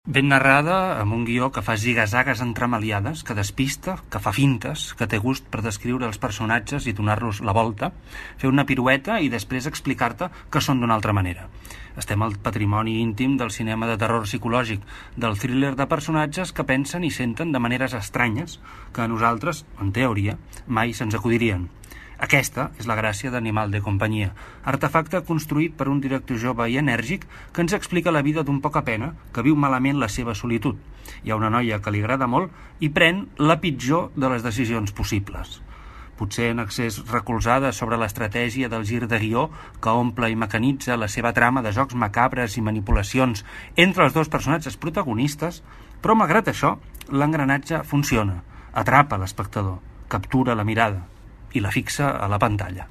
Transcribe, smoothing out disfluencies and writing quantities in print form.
Ben narrada, amb un guió que fa ziga-zagues entremaliades, que despista, que fa fintes, que té gust per descriure els personatges i donar-los la volta, fer una pirueta i després explicar-te que són d'una altra manera. Estem al patrimoni íntim del cinema de terror psicològic, del thriller de personatges que pensen i senten de maneres estranyes que a nosaltres, en teoria, mai se'ns acudirien. Aquesta és la gràcia d'Animal de companyia, artefacte construït per un director jove i enèrgic que ens explica la vida d'un poca pena que viu malament la seva solitud. Hi ha una noia que li agrada molt i pren la pitjor de les decisions possibles. Potser en excés recolzada sobre l'estratègia del gir de guió que omple i mecanitza la seva trama de jocs macabres i manipulacions entre els dos personatges protagonistes, però malgrat això, l'engranatge funciona, atrapa l'espectador, captura la mirada i la fixa a la pantalla.